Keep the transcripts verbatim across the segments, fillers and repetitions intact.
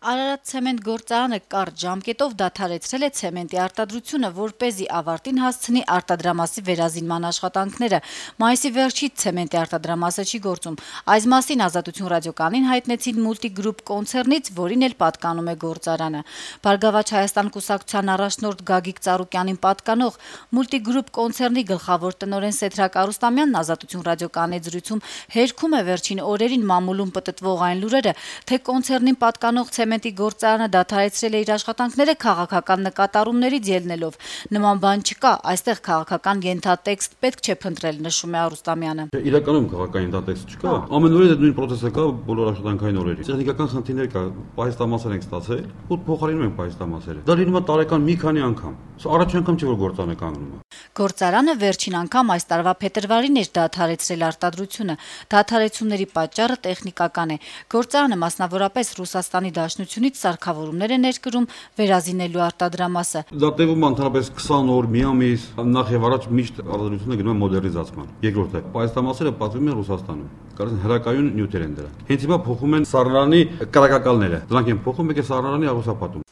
Արարատ ցեմենտ գործարանը կարճ ժամկետով դադարեցրել է ցեմենտի արտադրությունը, որպեսզի ավարտին հասցնի արտադրամասի վերազինման աշխատանքները։ Մայիսի վերջից ցեմենտի արտադրամասը չի գործում։ Այս մասին Ազատություն ռադիոկայանին հայտնեցին Multigroup կոնցեռնից, որին էլ պատկանում է գործարանը։ Բարգավաճ Հայաստան կուսակցության առաջնորդ Գագիկ Ծառուկյանին պատկանող Multigroup կոնցեռնի գլխավոր տնօրեն Սեդրակ Արուստամյանն Ազատություն ռադիոկայանի զրույցում հերքում է վերջին օրերին մամուլում պտտվող այն լուրերը, թե կոնցեռնին պատկանող ցեմենտի գործարանը դադարեցրել է իր աշխատանքները քաղաքական նկատառումներից ելնելով։ Նման բան չկա, այստեղ քաղաքական ենթատեքստ պետք չէ փնտրել, նշում է Արուստամյանը։ Իրականում քաղաքական ենթատեքստ չկա։ Ամեն օրը նույն process-ը կա բոլոր աշխատանքային օրերին։ Տեխնիկական խնդիրներ կա, պայստամասեր ենք ստացել, ու փոխարինում ենք պայստամասերը։ Դա լինում է տարեկան մի քանի անգամ։ Սա առաջին անգամ չէ, որ գործարանը կանգնում է։ Գործարանը վերջին անգամ այս տարվա փետրվարին էր դադարեցրել արտադրությունը։ Դադարեցումների պատճառը տեխնիկական է։ Գործարանը մասնավորապես Ռուսաստանի Դաշնությունից սարքավորումներ է ներկրում վերազինելու արտադրամասը։ Դա տևում է ընդհանրապես քսան օր, մի ամիս, նախ եւ առաջ միշտ արտադրությունը գնում է մոդեռնիզացման։ Երկրորդը, պայստամասերը պատվիրում են Ռուսաստանում։ Կարծես հրակայուն նյութեր են դրա։ Հենց հիմա փոխում են սառնարանի կրակակալները։ Դրանք են փոխում եկե սառնարանի աղյուսապատում։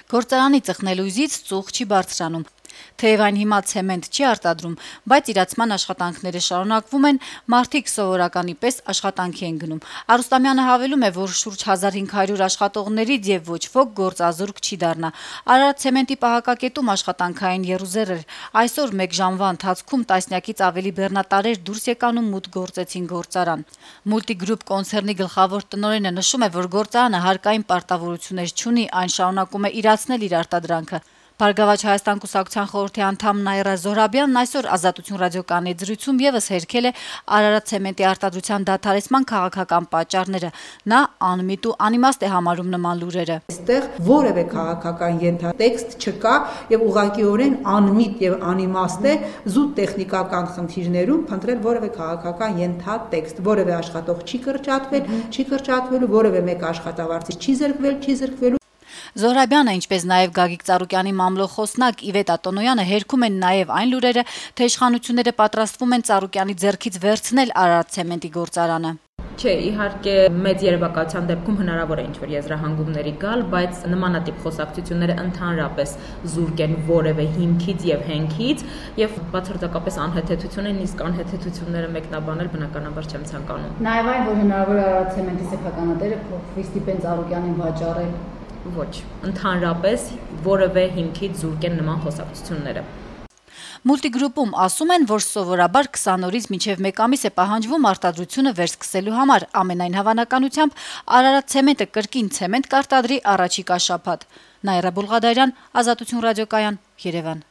Գործարանի ծխնելույզից ծուխ չի բարձրանում։ Թեև այն հիմա ցեմենտ չի արտադրում, բայց իրացման աշխատանքները շարունակվում են, մարդիկ սովորականի պես աշխատանքի են գնում։ Արուստամյանը հավելում է, որ շուրջ հազար հինգ հարյուր աշխատողներից եւ ոչ ոք գործազուրկ չի դառնա։ Արարատ ցեմենտի պահակակետում աշխատանքային եռուզեռ էր։ Այսօր մեկ ժամվա ընթացքում տասնյակից ավելի բեռնատարեր դուրս եկան ու մուտք գործեցին գործարան։ Multigroup կոնցեռնի գլխավոր տնօրենը նշում է, որ գործարանը հարկային պարտավորություններ չունի, այն շարունակում է իրացնել իր արտադրանքը։ Բարգավաճ Հայաստան կուսակցության խորհրդի անդամ Նաիրա Զոհրաբյանն այսօր Ազատություն ռադիոկայանի զրույցում եւս հերքել է Արարատ ցեմենտի արտադրության դադարեցման քաղաքական պատճառները։ Նա անմիտ ու անիմաստ է համարում նման լուրերը։ Այստեղ որևէ քաղաքական ենթատեքստ չկա եւ ուղղակիորեն անմիտ եւ անիմաստ է զուտ տեխնիկական խնդիրներում փնտրել որևէ քաղաքական ենթատեքստ։ Որևէ աշխատող չի կրճատվել, չի կրճատվելու, որևէ մեկ աշխատավարձից չի զրկվել, չի զրկվելու։ Զոհրաբյանը, ինչպես նաև Գագիկ Ծառուկյանի մամլոխոսնակ Իվետ Ատոնոյանը հերքում են նաև այն լուրերը, թե իշխանությունները պատրաստվում են Ծառուկյանի ձեռքից վերցնել Արարատ ցեմենտի գործարանը։ Չէ, իհարկե մեծ երևակայության դեպքում հնարավոր է ինչ-որ եզրահանգումների գալ, բայց նմանատիպ խոսակցությունները ընդհանրապես զուրկ են որևէ հիմքից եւ հենքից եւ բացարձակապես անհեթեթություն են, իսկ անհեթեթությունները մեկնաբանել բնականաբար չեմ ցանկանում։ Նաեւ այն, որ հնարավոր է Արարատ ցեմենտի սեփականատերը փոխվի ստիպեն Ծառուկյանին վաճառել։ Ոչ, ընդհանրապես որևէ հիմքից զուրկ են նման խոսակցությունները։ Multigroup-ում ասում են, որ սովորաբար քսան օրից մինչև մեկ ամիս է պահանջվում արտադրությունը վերսկսելու համար, ամենայն հավանականությամբ Արարատ ցեմենտը կրկին ցեմենտ կարտադրի առաջիկա շաբաթ։ Նաիրա Բուլղադարյան, Ազատություն ռադիոկայան, Երևան։